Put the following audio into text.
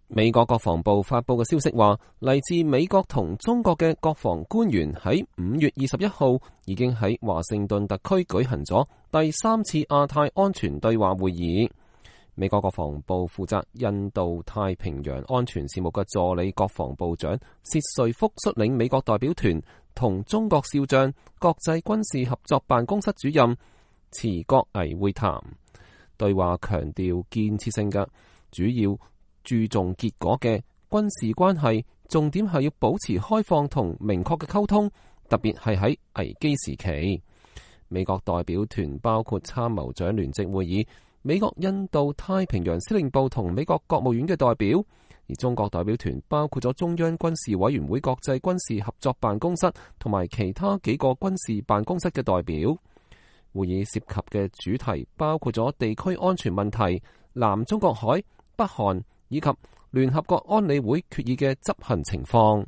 美國國防部發佈嘅消息話，嚟自美國同中國嘅國防官員喺5月21號已經喺華盛頓特區舉行咗第3次亞太安全對話會議。美國國防部負責印度太平洋安全事務嘅助理國防部長薛瑞福率領美國代表團同中國少將國際軍事合作辦公室主任池國危會談，對話強調建設性嘅，主要注重結果嘅軍事關係，重點係要保持開放同明確嘅溝通，特別係喺危機時期。美國代表團包括參謀長聯席會議、美國印度太平洋司令部同美國國務院嘅代表，而中國代表團包括咗中央軍事委員會國際軍事合作辦公室同埋其他幾個軍事辦公室嘅代表。會議涉及嘅主題包括咗地區安全問題、南中國海、北韓以及聯合國安理會決議嘅執行情況。